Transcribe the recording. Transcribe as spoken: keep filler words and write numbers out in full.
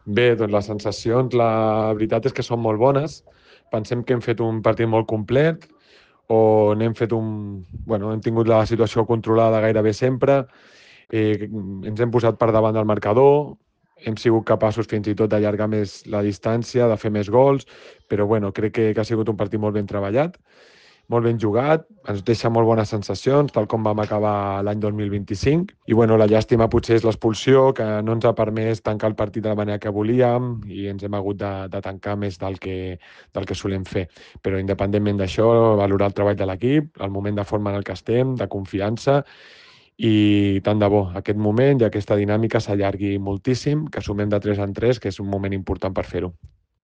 Bé, doncs les sensacions, la veritat és que són molt bones. Pensem que hem fet un partit molt complet, on hem fet un... Bueno, hem tingut la situació controlada gairebé sempre, eh, ens hem posat per davant del marcador, hem sigut capaços fins i tot d'allargar més la distància, de fer més gols, però bueno, crec que, que ha sigut un partit molt ben treballat, molt ben jugat, ens deixa molt bones sensacions, tal com vam acabar l'any dos mil vint-i-cinc. I bueno, la llàstima potser és l'expulsió, que no ens ha permès tancar el partit de la manera que volíem i ens hem hagut de, de tancar més del que, del que solem fer. Però independentment d'això, valorar el treball de l'equip, el moment de forma en el que estem, de confiança, i tant de bo aquest moment i aquesta dinàmica s'allargui moltíssim, que sumem de tres en tres, que és un moment important per fer-ho.